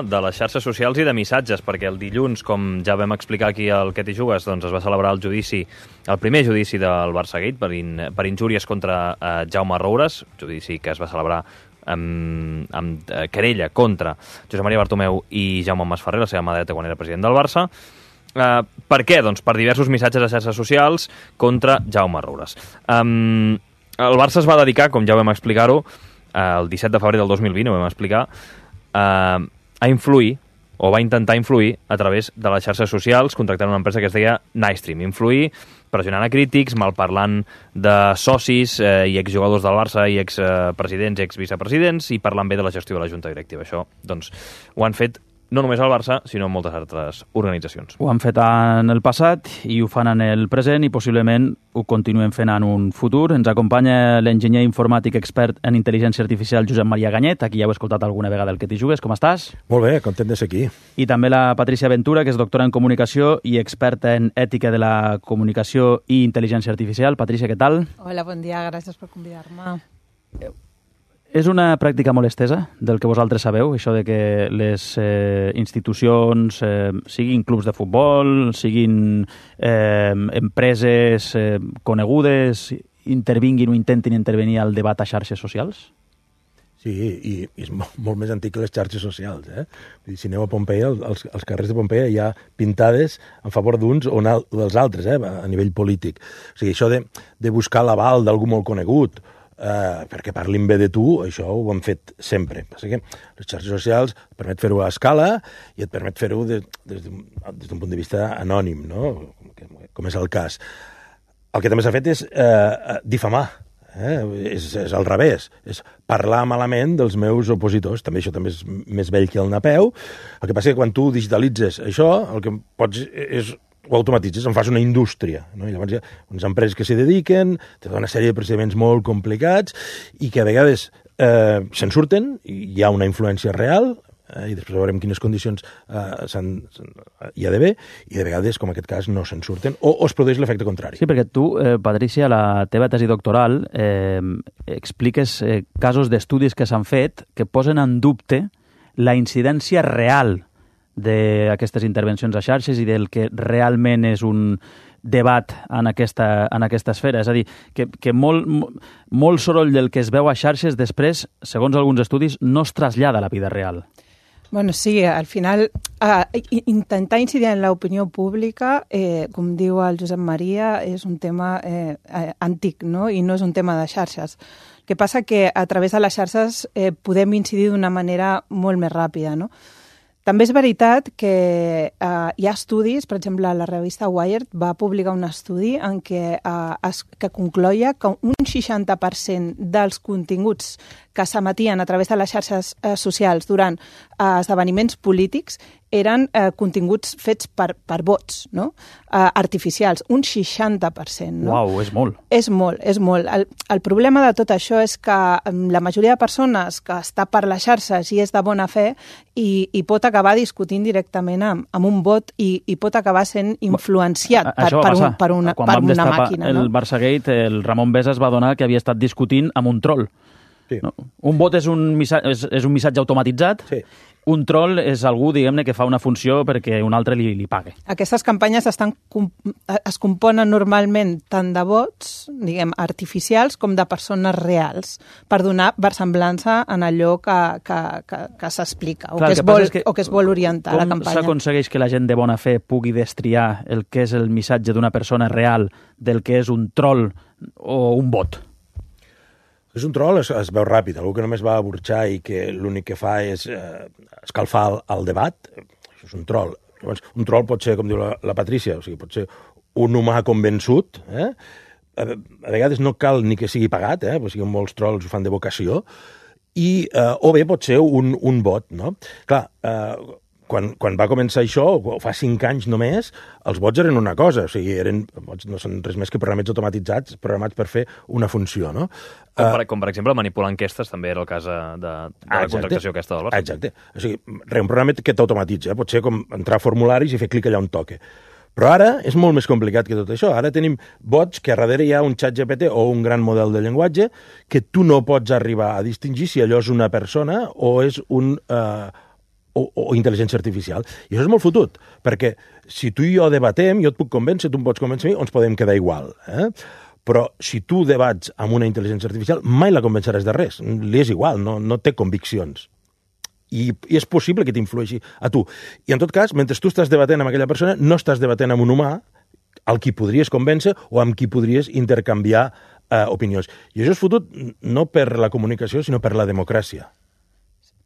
de les xarxes socials i de missatges, perquè el dilluns, com ja vam explicar aquí al Què t'hi jugues, doncs es va celebrar el primer judici del Barçagate per injúries contra Jaume Roures, judici que es va celebrar amb querella contra Josep Maria Bartomeu i Jaume Masferrer, la seva mà dreta quan era president del Barça. Per què? Doncs per diversos missatges a xarxes socials contra Jaume Roures. El Barça es va dedicar, com ja vam explicar-ho, el 17 de febrer del 2020, ho vam explicar, a influir, o va intentar influir a través de les xarxes socials, contractant una empresa que es deia Nightstream. Influir pressionant a crítics, malparlant de socis i exjugadors del Barça i expresidents i exvicepresidents i parlant bé de la gestió de la Junta Directiva. Això, doncs, ho han fet no només al Barça, sinó en moltes altres organitzacions. Ho han fet en el passat i ho fan en el present i possiblement ho continuem fent en un futur. Ens acompanya l'enginyer informàtic expert en intel·ligència artificial Josep Maria Ganyet, aquí ja heu escoltat alguna vegada el Que t'hi jugues. Com estàs? Molt bé, content de ser aquí. I també la Patricia Ventura, que és doctora en comunicació i experta en ètica de la comunicació i intel·ligència artificial. Patricia, què tal? Hola, bon dia, gràcies per convidar-me. És una pràctica molt estesa, del que vosaltres sabeu, això de que les institucions, siguin clubs de futbol, siguin empreses conegudes, intervinguin o intentin intervenir al debat a xarxes socials? Sí, i és molt més antic que les xarxes socials. Si aneu a Pompeia, als carrers de Pompeia hi ha pintades en favor d'uns o dels altres, a nivell polític. O sigui, això de buscar l'aval d'algú molt conegut, perquè parlin bé de tu, això ho hem fet sempre. Passa que les xarxes socials et permet fer-ho a escala i et permet fer-ho des d'un punt de vista anònim, no? Com és el cas. El que també s'ha fet és difamar. És al revés, és parlar malament dels meus opositors. Això també és més vell que el Napeu. El que passa és que quan tu digitalitzes això, el que pots és ho automatitzes, en fas una indústria, no? I llavors hi ha unes empreses que s'hi dediquen, té una sèrie de procediments molt complicats i que a vegades se'n surten, i hi ha una influència real, i després veurem quines condicions hi ha d'haver, i de vegades, com en aquest cas, no se'n surten, o es produeix l'efecte contrari. Sí, perquè tu, Patricia, a la teva tesi doctoral, expliques casos d'estudis que s'han fet que posen en dubte la incidència real d'aquestes intervencions a xarxes i del que realment és un debat en aquesta esfera. És a dir, que molt soroll del que es veu a xarxes després, segons alguns estudis, no es trasllada a la vida real. Bueno, sí, al final intentar incidir en l'opinió pública, com diu el Josep Maria, és un tema antic, no? I no és un tema de xarxes. El que passa que a través de les xarxes podem incidir d'una manera molt més ràpida, no? També és veritat que hi ha estudis, per exemple, la revista Wired va publicar un estudi en què concloia que un 60% dels continguts que s'emetien a través de les xarxes socials durant esdeveniments polítics eren continguts fets per bots, no? Artificials, un 60%. No? Uau, és molt. És molt, és molt. El problema de tot això és que la majoria de persones que està per les xarxes i és de bona fe i pot acabar discutint directament amb un bot i pot acabar sent influenciat per una màquina. El Barçagate, el Ramon Besa es va adonar que havia estat discutint amb un troll. Sí. No? Un bot és un missatge automatitzat. Sí. Un troll és algú, diguem-ne, que fa una funció perquè un altre li pague. Aquestes campanyes es componen normalment tant de bots, diguem, artificials, com de persones reals, per donar versemblança en allò que s'explica o que es vol orientar la campanya. Com s'aconsegueix que la gent de bona fe pugui destriar el que és el missatge d'una persona real del que és un troll o un bot? És un troll, es veu ràpid, algú que només va a burxar i que l'únic que fa és escalfar el debat, això és un troll. Llavors, un troll pot ser, com diu la Patrícia, o sigui, pot ser un humà convençut, a vegades no cal ni que sigui pagat, o sigui, molts trolls ho fan de vocació, o bé pot ser un bot, no? Clar, quan va començar això, fa 5 anys només, els bots eren una cosa, o sigui, bots no són res més que programes automatitzats, programats per fer una funció, no? Com per exemple, manipular enquestes, també era el cas de la contractació aquesta del Barça. Exacte. O sigui, un programa que t'automatitza, pot ser com entrar a formularis i fer clic allà on toque. Però ara és molt més complicat que tot això. Ara tenim bots que a darrere hi ha un xat GPT o un gran model de llenguatge que tu no pots arribar a distingir si allò és una persona o és un o intel·ligència artificial. I això és molt fotut, perquè si tu i jo debatem, jo et puc convèncer, tu em pots convèncer a mi, o ens podem quedar igual. Però si tu debats amb una intel·ligència artificial, mai la convenceràs de res. Li és igual, no té conviccions. I és possible que t'influeixi a tu. I en tot cas, mentre tu estàs debatent amb aquella persona, no estàs debatent amb un humà al qui podries convèncer o amb qui podries intercanviar opinions. I això és fotut no per la comunicació, sinó per la democràcia.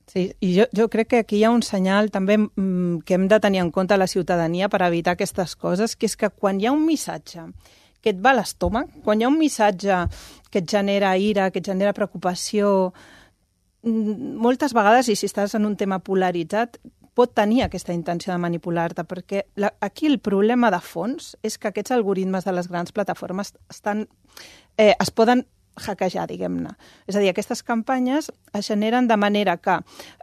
Sí, i jo crec que aquí hi ha un senyal també que hem de tenir en compte a la ciutadania per evitar aquestes coses, que és que quan hi ha un missatge que et va a l'estómac, quan hi ha un missatge que et genera ira, que et genera preocupació, moltes vegades, i si estàs en un tema polaritzat, pot tenir aquesta intenció de manipular-te, perquè aquí el problema de fons és que aquests algoritmes de les grans plataformes es poden hackejar, diguem-ne. És a dir, aquestes campanyes es generen de manera que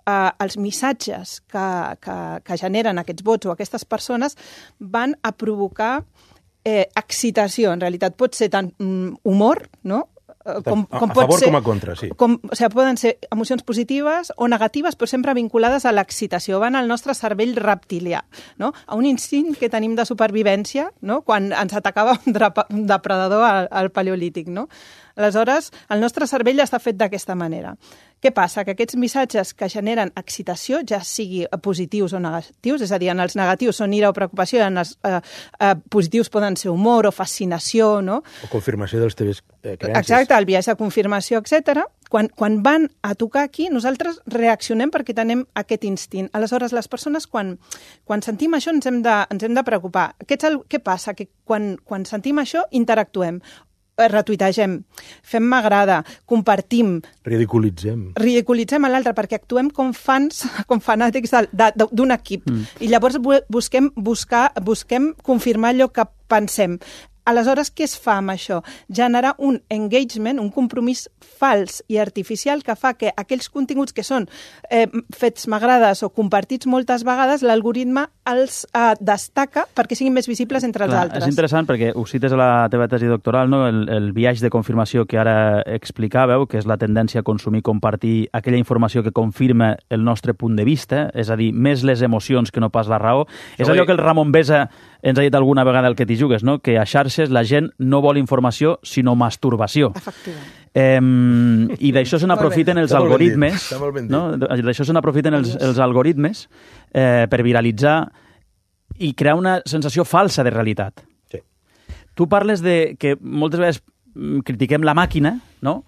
els missatges que generen aquests vots o aquestes persones van a provocar excitació. En realitat pot ser tant humor, no?, com a pot favor ser, com a contra, sí. O sigui, poden ser emocions positives o negatives, però sempre vinculades a l'excitació. Van al nostre cervell reptilià, no? A un instint que tenim de supervivència, no?, quan ens atacava un depredador al paleolític, no? Aleshores, el nostre cervell està fet d'aquesta manera. Què passa? Que aquests missatges que generen excitació, ja sigui positius o negatius, és a dir, en els negatius són ira o preocupació, en els positius poden ser humor o fascinació, no? O confirmació de les teves creences. Exacte, el biaix de confirmació, etc. Quan van a tocar aquí, nosaltres reaccionem perquè tenim aquest instint. Aleshores, les persones, quan sentim això, ens hem de preocupar. Què passa? Que quan sentim això, interactuem. Retuitegem, fem m'agrada, compartim. Ridiculitzem a l'altre perquè actuem com fans, com fanàtics d'un equip. I llavors busquem confirmar allò que pensem. Aleshores, què es fa amb això? Generar un engagement, un compromís fals i artificial que fa que aquells continguts que són fets m'agrades o compartits moltes vegades, l'algoritme els destaca perquè siguin més visibles entre els altres. És interessant perquè ho cites a la teva tesi doctoral, no? El biaix de confirmació que ara explicàveu, que és la tendència a consumir i compartir aquella informació que confirma el nostre punt de vista, és a dir, més les emocions que no pas la raó. És allò que el Ramon Besa ens ha dit alguna vegada el que t'hi jugues, no? Que a xarxes la gent no vol informació, sinó masturbació. Efectivament. I d'això se n'aprofiten els algoritmes, no? D'això se n'aprofiten els algoritmes per viralitzar i crear una sensació falsa de realitat. Sí. Tu parles de que moltes vegades critiquem la màquina, no?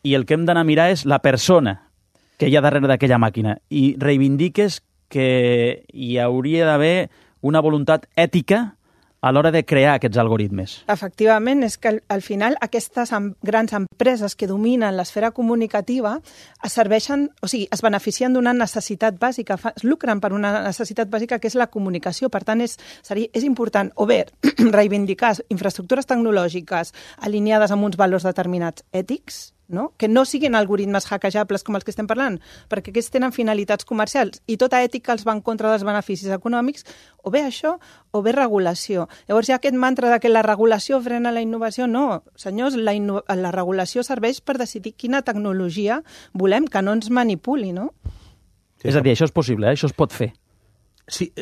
I el que hem d'anar a mirar és la persona que hi ha darrere d'aquella màquina. I reivindiques que hi hauria d'haver una voluntat ètica a l'hora de crear aquests algoritmes. Efectivament, és que al final aquestes grans empreses que dominen l'esfera comunicativa es beneficien d'una necessitat bàsica, es lucren per una necessitat bàsica que és la comunicació. Per tant, és important o bé reivindicar infraestructures tecnològiques alineades amb uns valors determinats ètics, no? Que no siguin algoritmes hackejables com els que estem parlant, perquè aquests tenen finalitats comercials i tota ètica els va en contra dels beneficis econòmics, o bé això, o bé regulació. Llavors hi ha aquest mantra de que la regulació frena la innovació. No, senyors, la regulació serveix per decidir quina tecnologia volem, que no ens manipuli, no? Sí, és a dir, això és possible, això es pot fer. Sí,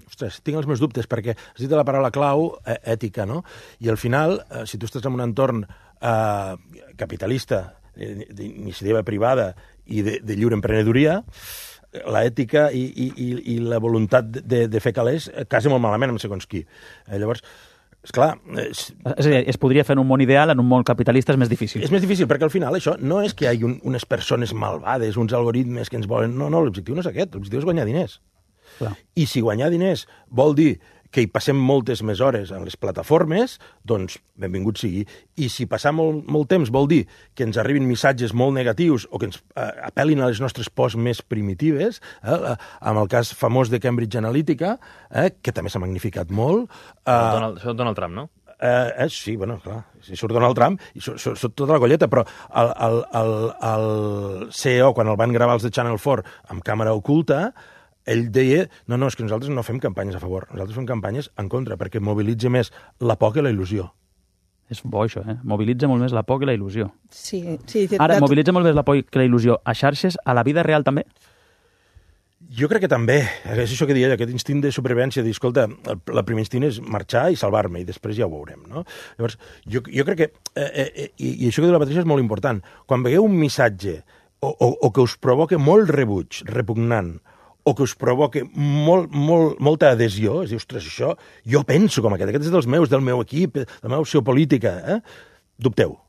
ostres, tinc els meus dubtes, perquè has dit la paraula clau, ètica, no? I al final, si tu estàs en un entorn capitalista, d'iniciativa privada i de lliure emprenedoria, l'ètica i la voluntat de fer calés casa molt malament amb segons qui. Llavors, esclar... És a dir, es podria fer en un món ideal, en un món capitalista és més difícil. És més difícil, perquè al final això no és que hi hagi unes persones malvades, uns algoritmes que ens volen... No, l'objectiu no és aquest, l'objectiu és guanyar diners. Clar. I si guanyar diners vol dir que hi passem moltes més hores en les plataformes, doncs benvingut sigui. I si passar molt temps vol dir que ens arribin missatges molt negatius o que ens apel·lin a les nostres pors més primitives, amb el cas famós de Cambridge Analytica, que també s'ha magnificat molt... Això Donald Trump, no? Sí, bueno, clar, si surt Donald Trump, i surt tota la colleta, però el CEO, quan el van gravar els de Channel 4 amb càmera oculta, ell deia, no, és que nosaltres no fem campanyes a favor, nosaltres fem campanyes en contra, perquè mobilitza més la por que la il·lusió. És bo, això, Mobilitza molt més la por que la il·lusió. Sí. Ara, mobilitza molt més la por que la il·lusió a xarxes, a la vida real també? Jo crec que també, és això que deia, aquest instint de supervivència, dir, escolta, el primer instint és marxar i salvar-me, i després ja ho veurem, no? Llavors, jo crec que, i això que diu la Patricia és molt important, quan veieu un missatge o que us provoca molt rebuig, repugnant, o que us provoca molta adhesió, és dir, ostres, això, jo penso com aquest és dels meus, del meu equip, de la meva opció política, dubteu.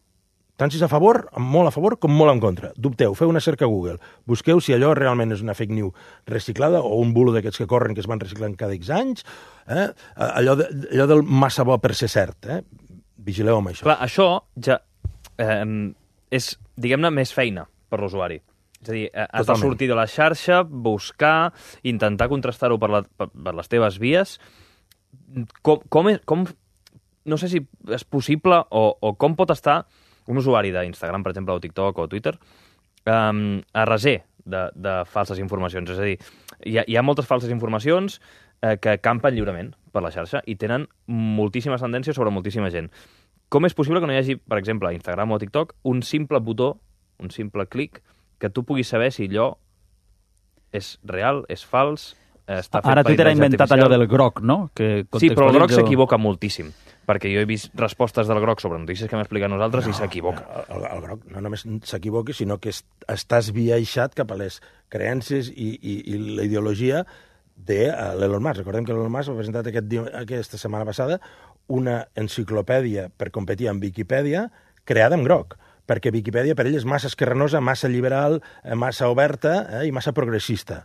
Tant si és a favor, molt a favor, com molt en contra. Dubteu, feu una cerca a Google. Busqueu si allò realment és una fake news reciclada o un bulo d'aquests que corren, que es van reciclant cada X anys. Allò del massa bo per ser cert. Vigileu amb això. Clar, això ja és, diguem-ne, més feina per l'usuari. És a dir, has de sortir de la xarxa, buscar, intentar contrastar-ho per les teves vies. Com no sé si és possible o com pot estar un usuari d'Instagram, per exemple, o TikTok o Twitter, a reser de falses informacions. És a dir, hi ha moltes falses informacions que campen lliurement per la xarxa i tenen moltíssimes tendències sobre moltíssima gent. Com és possible que no hi hagi, per exemple, a Instagram o a TikTok, un simple botó, un simple clic, que tu puguis saber si allò és real, és fals, està fet Ara per Twitter ha intel·ligència inventat allò del groc, no? Sí, però el groc s'equivoca moltíssim, perquè jo he vist respostes del groc sobre notícies que hem explicat nosaltres i s'equivoca. El groc no només s'equivoca, sinó que estàs viaixat cap a les creences i la ideologia de l'Elon Musk. Recordem que l'Elon Musk ha presentat aquesta setmana passada una enciclopèdia per competir amb Viquipèdia creada en groc, perquè Viquipèdia per ell és massa esquerranosa, massa liberal, massa oberta i massa progressista.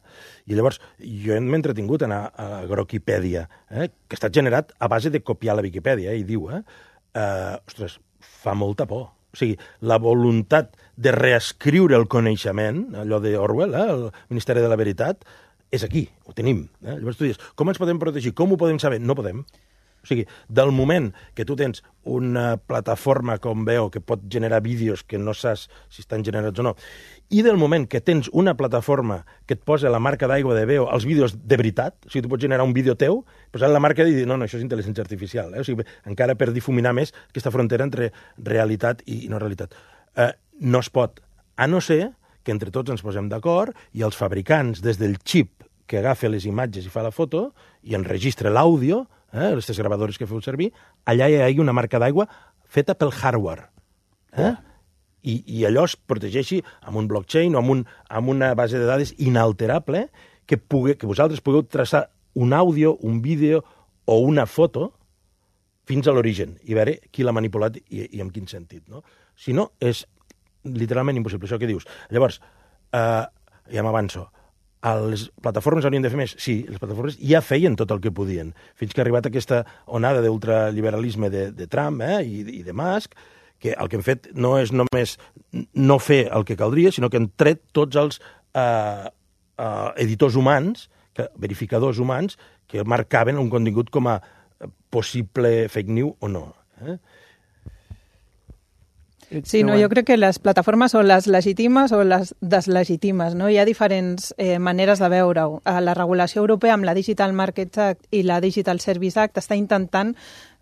I llavors jo m'he entretingut a anar a Grokipèdia, que està generat a base de copiar la Viquipèdia, i diu, ostres, fa molta por. O sigui, la voluntat de reescriure el coneixement, allò d'Orwell, el Ministeri de la Veritat, és aquí, ho tenim. Llavors tu dius, com ens podem protegir? Com ho podem saber? No podem. O sigui, del moment que tu tens una plataforma com Veo que pot generar vídeos que no saps si estan generats o no, i del moment que tens una plataforma que et posa la marca d'aigua de Veo als vídeos de veritat, o sigui, tu pots generar un vídeo teu, posar la marca i dir, no, això és intel·ligència artificial. O sigui, encara per difuminar més aquesta frontera entre realitat i no realitat. No es pot, a no ser que entre tots ens posem d'acord i els fabricants, des del xip que agafa les imatges i fa la foto i enregistra l'àudio, aquestes gravadores que feu servir, allà hi ha una marca d'aigua feta pel hardware. I allò es protegeixi amb un blockchain o amb una base de dades inalterable que vosaltres pugueu traçar un àudio, un vídeo o una foto fins a l'origen i veure qui l'ha manipulat i en quin sentit. No? Si no, és literalment impossible, això que dius. Llavors, ja m'avanço, les plataformes haurien de fer més? Sí, les plataformes ja feien tot el que podien, fins que ha arribat aquesta onada d'ultraliberalisme de Trump i de Musk, que el que hem fet no és només no fer el que caldria, sinó que hem tret tots els editors humans, verificadors humans, que marcaven un contingut com a possible fake news o no. Sí, no, jo crec que les plataformes són les legítimes o les deslegítimes, no? Hi ha diferents maneres de veure-ho. La regulació europea amb la Digital Markets Act i la Digital Service Act està intentant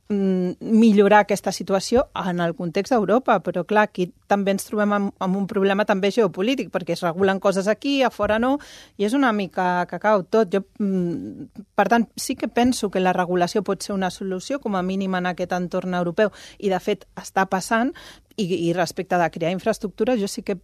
millorar aquesta situació en el context d'Europa, però clar, aquí també ens trobem amb un problema també geopolític, perquè es regulen coses aquí, a fora no, i és una mica cacau tot. Per tant, sí que penso que la regulació pot ser una solució, com a mínim en aquest entorn europeu, i de fet està passant, i respecte de crear infraestructures, jo sí que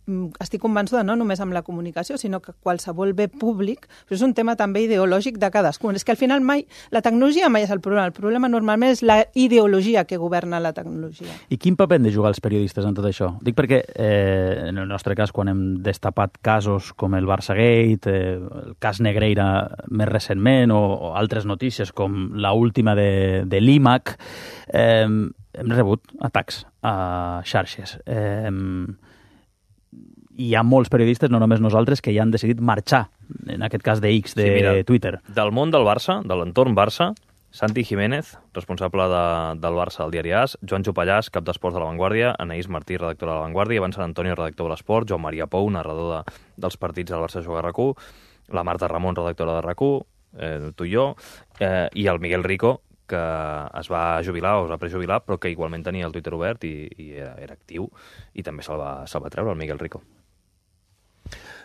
estic convençuda no només amb la comunicació, sinó que qualsevol bé públic, però és un tema també ideològic de cadascun. És que al final la tecnologia mai és el problema normalment és la ideologia que governa la tecnologia. I quin paper han de jugar els periodistes en tot això? Dic perquè, en el nostre cas, quan hem destapat casos com el Barçagate, el cas Negreira més recentment, o altres notícies com l'última de l'IMAC, hem rebut atacs a xarxes. Hi ha molts periodistes, no només nosaltres, que ja han decidit marxar, en aquest cas de X, de Twitter. Del món del Barça, de l'entorn Barça, Santi Jiménez, responsable del Barça del diari AS, Joan Jopallàs, cap d'esports de La Vanguardia, Anaïs Martí, redactora de La Vanguardia, Ivan Sant Antonio, redactor de l'Esport, Joan Maria Pou, narrador dels partits del Barça Juga a RAC1, la Marta Ramon, redactora de RAC1, tu i jo, i el Miguel Rico, que es va jubilar o es va prejubilar, però que igualment tenia el Twitter obert i era actiu, i també se'l va treure, el Miguel Rico.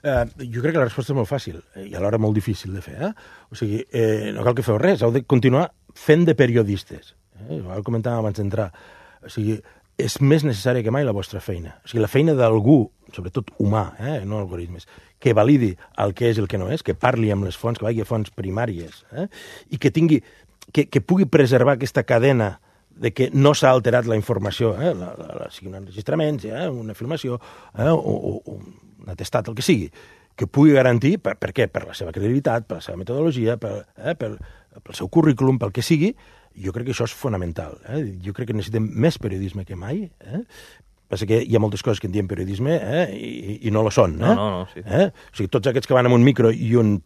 Jo crec que la resposta és molt fàcil i alhora molt difícil de fer. O sigui, no cal que feu res, heu de continuar fent de periodistes. Ho comentàvem abans d'entrar. O sigui, és més necessària que mai la vostra feina. O sigui, la feina d'algú, sobretot humà, no algoritmes, que validi el que és i el que no és, que parli amb les fonts, que vagi a fonts primàries, i que tingui, que pugui preservar aquesta cadena de que no s'ha alterat la informació, sigui un enregistrament, una filmació, o un atestat, el que sigui, que pugui garantir, per què? Per la seva credibilitat, per la seva metodologia, pel seu currículum, pel que sigui. Jo crec que això és fonamental. Jo crec que necessitem més periodisme que mai. Passa que hi ha moltes coses que en diem periodisme i no lo són. No, sí. O sigui, tots aquests que van amb un micro i un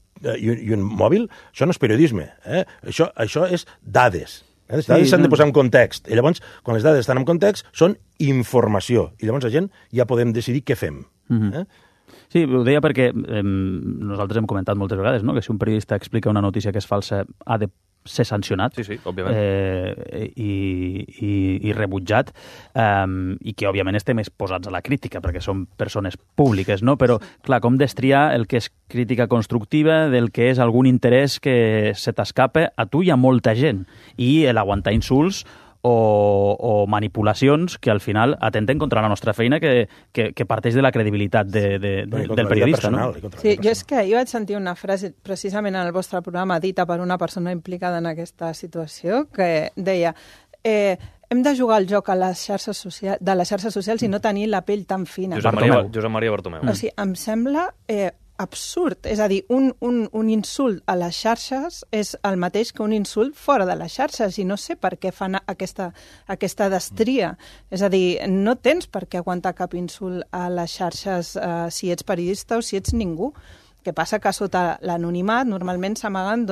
mòbil, això no és periodisme. Això és dades. Les dades s'han de posar en context. I llavors, quan les dades estan en context, són informació. I llavors la gent ja podem decidir què fem. Sí, ho deia perquè nosaltres hem comentat moltes vegades, no?, que si un periodista explica una notícia que és falsa ha de ser sancionat. Sí, òbviament. I rebutjat, i que òbviament estem exposats a la crítica perquè som persones públiques, no? Però, clar, com destriar el que és crítica constructiva del que és algun interès que se t'escapa a tu i a molta gent, i l'aguantar insults o manipulacions que al final atenten contra la nostra feina que parteix de la credibilitat del periodista. No? Sí, jo és que ahir vaig sentir una frase precisament en el vostre programa dita per una persona implicada en aquesta situació que deia hem de jugar al joc de les xarxes socials i no tenir la pell tan fina. Josep Maria Bartomeu. O sigui, em sembla absurd. És a dir, un insult a les xarxes és el mateix que un insult fora de les xarxes i no sé per què fan aquesta destria. És a dir, no tens per què aguantar cap insult a les xarxes si ets periodista o si ets ningú. Que passa que sota l'anonimat normalment s'amaguen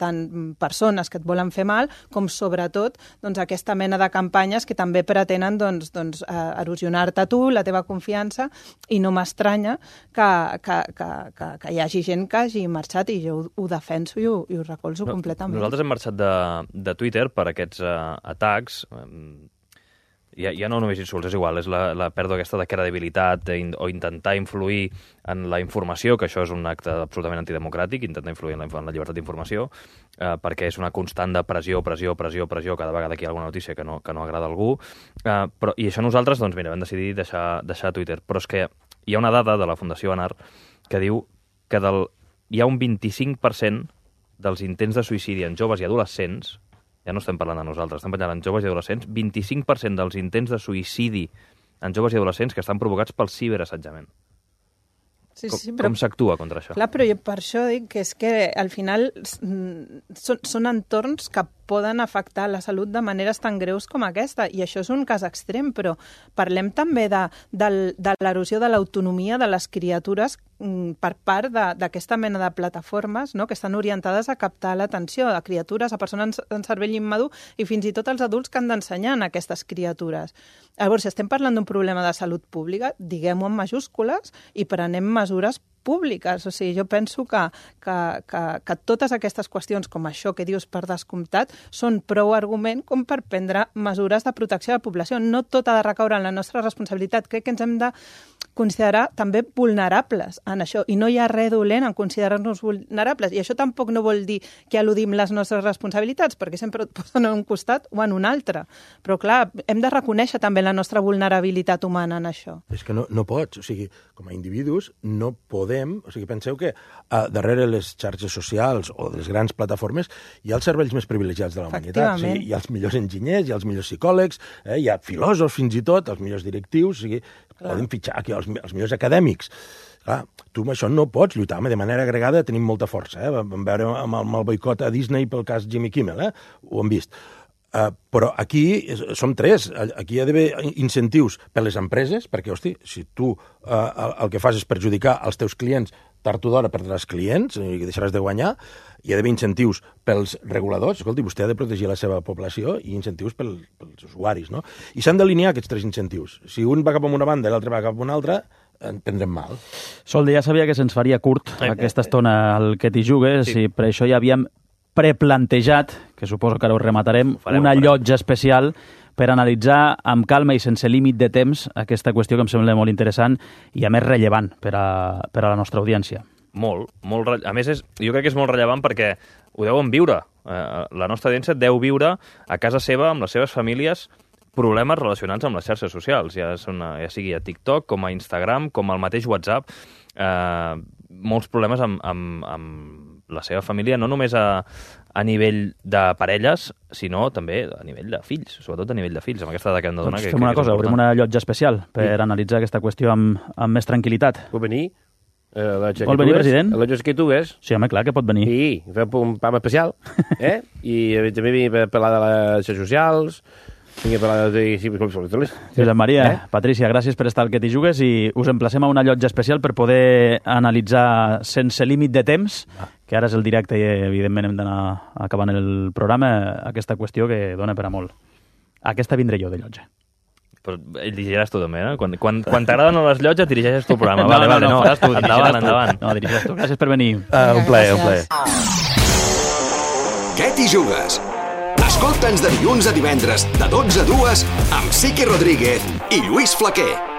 tant persones que et volen fer mal com sobretot aquesta mena de campanyes que també pretenen erosionar-te tu, la teva confiança, i no m'estranya que hi hagi gent que hagi marxat i jo ho defenso i ho recolzo completament. Nosaltres hem marxat de Twitter per aquests atacs. Ja no només insults, és igual, és la pèrdua aquesta de credibilitat o intentar influir en la informació, que això és un acte absolutament antidemocràtic, intentar influir en la llibertat d'informació, perquè és una constant de pressió cada vegada que hi ha alguna notícia que no agrada a algú. I això nosaltres, vam decidir deixar Twitter. Però és que hi ha una dada de la Fundació Anar que diu que hi ha un 25% dels intents de suïcidi en joves i adolescents. Ja no estem parlant de nosaltres, estem parlant en joves i adolescents, 25% dels intents de suïcidi en joves i adolescents que estan provocats pel ciberassetjament. Com s'actua contra això? Clar, però jo per això dic que és que al final són entorns que poden afectar la salut de maneres tan greus com aquesta, i això és un cas extrem, però parlem també de l'erosió de l'autonomia de les criatures per part d'aquesta mena de plataformes, no?, que estan orientades a captar l'atenció a criatures, a persones en cervell immadur i fins i tot als adults que han d'ensenyar a aquestes criatures. Llavors, si estem parlant d'un problema de salut pública, diguem-ho en majúscules i prenem mesures públiques. O sigui, jo penso que totes aquestes qüestions, com això que dius per descomptat, són prou argument com per prendre mesures de protecció de la població. No tot ha de recaure en la nostra responsabilitat. Crec que ens hem de considerar també vulnerables en això, i no hi ha res dolent en considerar-nos vulnerables. I això tampoc no vol dir que eludim les nostres responsabilitats, perquè sempre et posen en un costat o en un altre. Però, clar, hem de reconèixer també la nostra vulnerabilitat humana en això. És que no pots. O sigui, com a individus no podem... O sigui, penseu que darrere les xarxes socials o de les grans plataformes hi ha els cervells més privilegiats de la humanitat. O sigui, hi ha els millors enginyers, hi ha els millors psicòlegs, hi ha filòsofs fins i tot, els millors directius, o sigui, podem fitxar aquí els millors acadèmics. Clar, tu amb això no pots lluitar. De manera agregada tenim molta força. Vam veure amb el boicot a Disney pel cas Jimmy Kimmel, ho hem vist. Però aquí som tres. Aquí hi ha d'haver incentius per les empreses, perquè, hosti, si tu el que fas és perjudicar els teus clients, tard o d'hora perdràs clients i deixaràs de guanyar. Hi ha d'haver incentius pels reguladors. Escolti, vostè ha de protegir la seva població, i incentius pels usuaris, no? I s'han d'alinear aquests tres incentius. Si un va cap a una banda i l'altre va cap a una altra, en prendrem mal. Solde, ja sabia que se'ns faria curt aquesta estona al que t'hi jugues, i per això ja havíem preplantejat, que suposo que ara ho rematarem, una llotja especial per analitzar amb calma i sense límit de temps aquesta qüestió que em sembla molt interessant i a més rellevant per a la nostra audiència. Molt. A més, jo crec que és molt rellevant perquè ho deuen viure. La nostra audiència deu viure a casa seva amb les seves famílies problemes relacionats amb les xarxes socials, ja sigui a TikTok, com a Instagram, com al mateix WhatsApp. Molts problemes amb la seva família, no només a nivell de parelles, sinó també a nivell de fills, sobretot a nivell de fills, amb aquesta dada que hem de donar. Doncs fem una cosa, obrim una llotja especial per analitzar aquesta qüestió amb més tranquil·litat. Pot venir? Vol venir, president? La llotja que tu ves. Sí, home, clar que pot venir. I fem un pam especial, i també venir per parlar de les xarxes socials, vinc a parlar de... Josep Maria, Patrícia, gràcies per estar al Que t'hi jugues i us emplacem a una llotja especial per poder analitzar sense límit de temps, que ara és el directe i evidentment hem d'anar acabant el programa, aquesta qüestió que dona per a molt. Aquesta vindré jo de llotja. Però dirigiràs tu també, no? Quan t'agraden les llotges, dirigeixes tu el programa. No, faràs tu, endavant. No, dirigiràs tu. Gràcies per venir. Un plaer. Què t'hi jugues? Escolta'ns de dilluns a divendres, de 12 a 2, amb Sique Rodríguez i Lluís Flaquer.